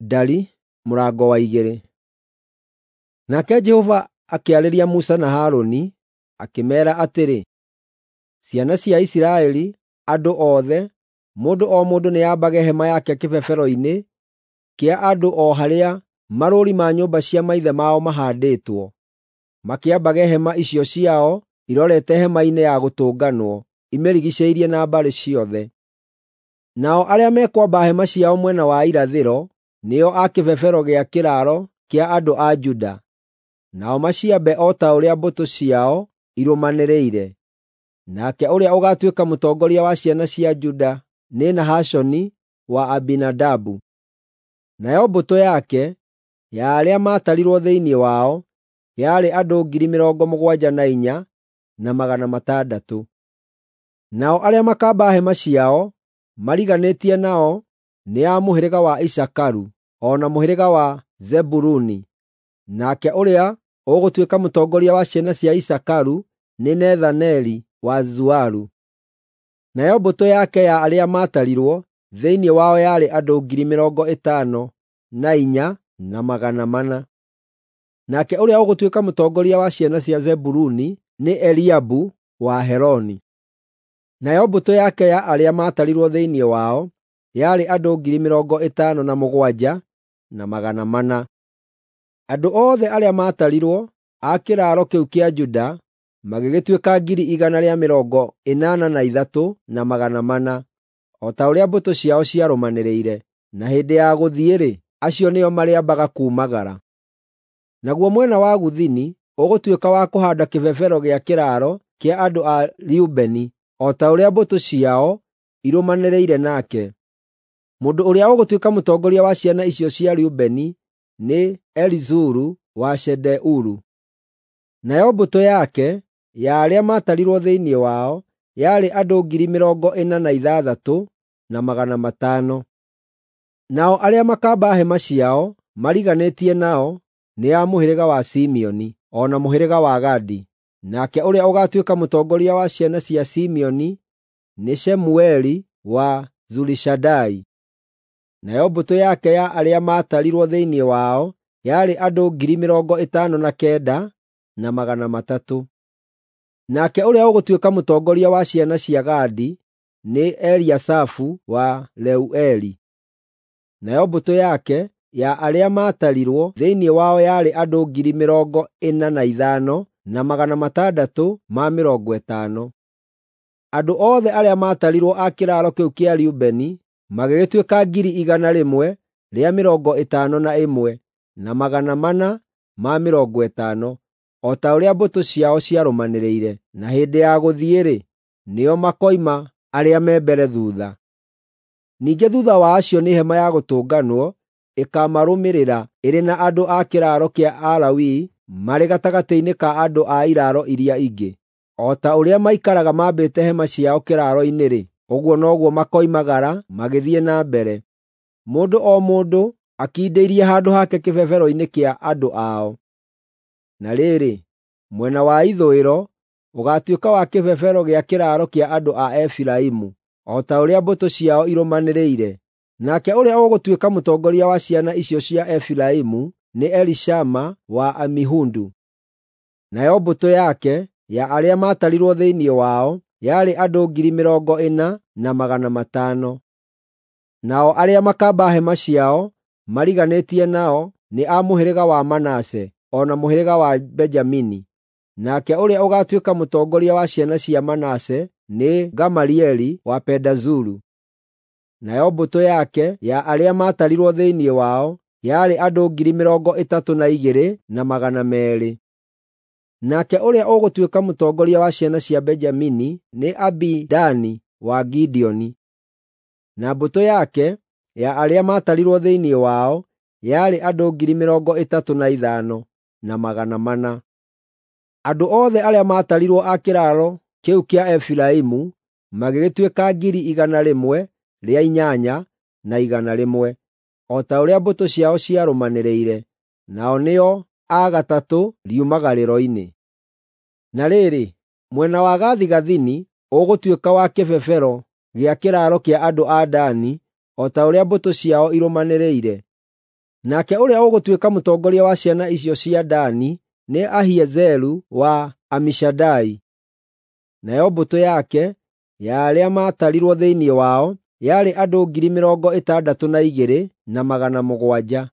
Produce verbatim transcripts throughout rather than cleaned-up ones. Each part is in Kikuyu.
Ndari mũrango wa igĩrĩ. Nake Jehova akĩarĩria Musa na Harũni, akĩmeera atĩrĩ, Ciana cia Isiraeli, andũ othe, mũndũ o mũndũ nĩambage hema yake kĩbebero-inĩ kĩa andũ o harĩa marũũri ma nyũmba cia maithe mao mahaandĩtwo, makĩambage hema icio ciao irorete Hema-inĩ-ya-Gũtũnganwo, imĩrigiicĩirie na mbarĩ ciothe. Nao arĩa mekwamba hema ciao mwena wa irathĩro nĩo a kĩbebero gĩa kĩraaro kĩa andũ a Juda, nao maciambe o ta ũrĩa mbũtũ ciao irũmanĩrĩire. Nake ũrĩa ũgaatuĩka mũtongoria wa ciana cia Juda nĩ Nahashoni wa Aminadabu. Nayo mbũtũ yake, ya arĩa maatarirwo thĩinĩ wao, yarĩ andũ ngiri mĩrongo mũgwanja na inya, na magana matandatũ. Nao arĩa makaamba hema ciao mariganĩtie nao nĩ a mũhĩrĩga wa Isakaru o na mũhĩrĩga wa Zebuluni. Nake ũrĩa ũgũtuĩka mũtongoria wa ciana cia Isakaru nĩ Nethaneli wa Zuaru. Nayo mbũtũ yake ya arĩa maatarirwo thĩinĩ wao yarĩ andũ ngiri mĩrongo ĩtano na inya na magana mana. Nake ũrĩa ũgũtuĩka mũtongoria wa ciana cia Zebuluni nĩ Eliabu wa Heloni. Nayo mbũtũ yake ya arĩa maatarirwo thĩinĩ wao yarĩ andũ ngiri mĩrongo ĩtano na mũgwanja na magana mana. Andũ othe arĩa maatarirwo a kĩraaro kĩu kĩa Juda magĩgĩtuĩka ngiri igana rĩa mĩrongo ĩnana na ithatũ na magana mana, o ta ũrĩa mbũtũ ciao ciarũmanĩrĩire, na hĩndĩ ya gũthiĩ-rĩ, acio nĩo marĩambaga kuumagara. Naguo mwena wa gũthini ũgũtuĩka wa kũhaanda kĩbebero gĩa kĩraaro kĩa andũ a Rubeni, o ta ũrĩa mbũtũ ciao irũmanĩrĩire nake. Mũndũ ũrĩa ũgũtuĩka mũtongoria wa ciana icio cia Rubeni nĩ Elizuru wa Shedeuru. Nayo mbũtũ yake, ya arĩa maatarirwo thĩinĩ wao, yarĩ andũ ngiri mĩrongo ĩna na ithathatũ na magana matano. Nao arĩa makaamba hema ciao mariganĩtie nao nĩ a mũhĩrĩga wa Simeoni o na mũhĩrĩga wa Gadi. Nake ũrĩa ũgaatuĩka mũtongoria wa ciana cia Simeoni nĩ Shemueli wa Zurishadai. Nayo mbũtũ yake ya arĩa maatarirwo thĩinĩ wao yarĩ andũ ngiri mĩrongo ĩtano na kenda na magana matatũ. Nake ũrĩa ũgũtuĩka mũtongoria wa ciana cia Gadi nĩ Eliasafu wa Reueli. Nayo mbũtũ yake ya arĩa maatarirwo thĩinĩ wao yarĩ andũ ngiri mĩrongo ĩna na ithano na magana matandatũ ma mĩrongo ĩtano. Andũ othe arĩa maatarirwo a kĩraaro kĩu kĩa Rubeni magĩgĩtuĩka ngiri igana rĩmwe rĩa mĩrongo ĩtano na ĩmwe na magana mana ma mĩrongo ĩtano, o ta ũrĩa mbũtũ ciao ciarũmanĩrĩire, na hĩndĩ ya gũthiĩ-rĩ, nĩo makoima arĩa me mbere thuutha. Ningĩ thuutha wa acio nĩ Hema-ya-Gũtũnganwo ĩkaamarũmĩrĩra ĩrĩ na andũ a kĩraaro kĩa Alawii marĩ gatagatĩ-inĩ ka andũ a iraaro iria ingĩ. O ta ũrĩa maikaraga mambĩte hema ciao kĩraaro-inĩ-rĩ, ũguo noguo makoimagara magĩthiĩ na mbere, mũndũ o mũndũ akindĩirie handũ hake kĩbebero-inĩ kĩa andũ ao. Na rĩrĩ, mwena wa ithũĩro ũgaatuĩka wa kĩbebero gĩa kĩraaro kĩa andũ a Efiraimu, o ta ũrĩa mbũtũ ciao irũmanĩrĩire. Nake ũrĩa ũgũtuĩka mũtongoria wa ciana icio cia Efiraimu nĩ Elishama wa Amihudu. Nayo mbũtũ yake ya arĩa maatarirwo thĩinĩ wao yarĩ andũ ngiri mĩrongo ĩna na magana matano. Nao arĩa makaamba hema ciao mariganĩtie nao nĩ a mũhĩrĩga wa Manase o na mũhĩrĩga wa Benjamini. Nake ũrĩa ũgaatuĩka mũtongoria wa ciana cia Manase nĩ Gamalieli wa Pedazuru. Nayo mbũtũ yake ya arĩa maatarirwo thĩinĩ wao yarĩ andũ ngiri mĩrongo ĩtatũ na igĩrĩ na magana meerĩ. Nake ũrĩa ũgũtuĩka mũtongoria wa ciana cia Benjamini nĩ Abidani wa Gideoni. Na mbũtũ yake ya arĩa maatarirwo thĩinĩ wao yarĩ andũ ngiri mĩrongo ĩtatũ na ithano na magana mana. Andũ othe arĩa maatarirwo a kĩraaro kĩu kĩa Efiraimu magĩgĩtuĩka ngiri igana rĩmwe rĩa inyanya na igana rĩmwe, o ta ũrĩa mbũtũ ciao ciarũmanĩrĩire, nao nĩo a gatatũ riumagarĩro-inĩ. Na rĩrĩ, mwena wa gathigathini ũgũtuĩka wa kĩbebero gĩa kĩraaro kĩa andũ a Dani, o ta ũrĩa mbũtũ ciao irũmanĩrĩire. Nake ũrĩa ũgũtuĩka mũtongoria wa ciana icio cia Dani nĩ Ahiezeru wa Amishadai. Nayo mbũtũ yake, ya arĩa maatarirwo thĩinĩ wao, yarĩ andũ ngiri mĩrongo ĩtandatũ na igĩrĩ na magana mũgwanja.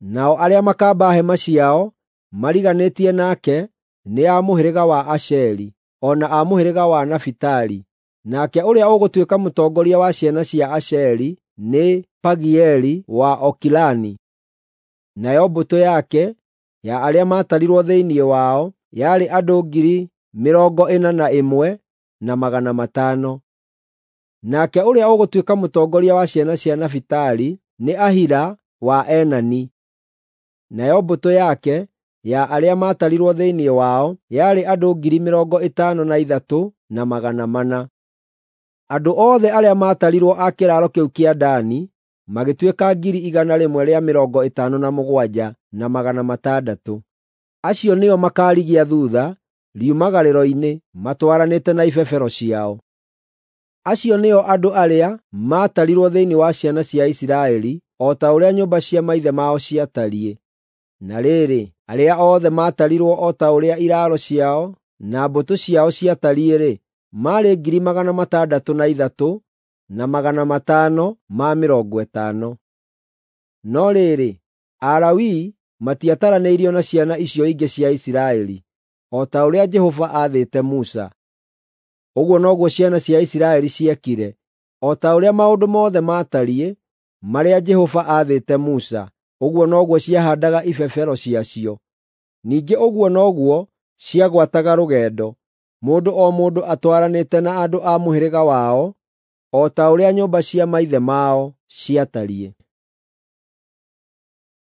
Nao arĩa makaamba hema ciao mariganĩtie nake nĩ a mũhĩrĩga wa Asheri, o na a mũhĩrĩga wa Nafitali. Nake ũrĩa ũgũtuĩka mũtongoria wa ciana cia Asheri nĩ Pagieli wa Okirani. Nayo mbũtũ yake, ya arĩa maatarirwo thĩinĩ wao, yarĩ andũ ngiri mĩrongo ĩna na ĩmwe na magana matano. Nake ũrĩa ũgũtuĩka mũtongoria wa ciana cia Nafitali nĩ Ahira wa Enani. Nayo mbũtũ yake, ya arĩa maatarirwo thĩinĩ wao, yarĩ andũ ngiri mĩrongo ĩtano na ithatũ na magana mana. Andũ othe arĩa maatarirwo a kĩraaro kĩu kĩa Dani magĩtuĩka ngiri igana rĩmwe rĩa mĩrongo ĩtano na mũgwanja na magana matandatũ. Acio nĩo makaarigia thuutha riumagarĩro-inĩ matwaranĩte na ibebero ciao. Acio nĩo andũ arĩa maatarirwo thĩinĩ wa ciana cia Isiraeli o ta ũrĩa nyũmba cia maithe mao ciatariĩ. Na rĩrĩ, arĩa othe maatarirwo o ta ũrĩa iraaro ciao na mbũtũ ciao ciatariĩ-rĩ, maarĩ ngiri magana matandatũ na ithatũ na magana matano ma mĩrongo ĩtano. No rĩrĩ, Alawii matiataranĩirio na ciana icio ingĩ cia Isiraeli, o ta ũrĩa Jehova aathĩte Musa. Ũguo noguo ciana cia Isiraeli ciekire, o ta ũrĩa maũndũ mothe maatariĩ marĩa Jehova aathĩte Musa, ũguo noguo ciahaandaga ibebero ciacio. Ningĩ ũguo noguo ciagwataga rũgendo, mũndũ o mũndũ atwaranĩte na andũ a mũhĩrĩga wao, o ta ũrĩa nyũmba cia maithe mao ciatariĩ.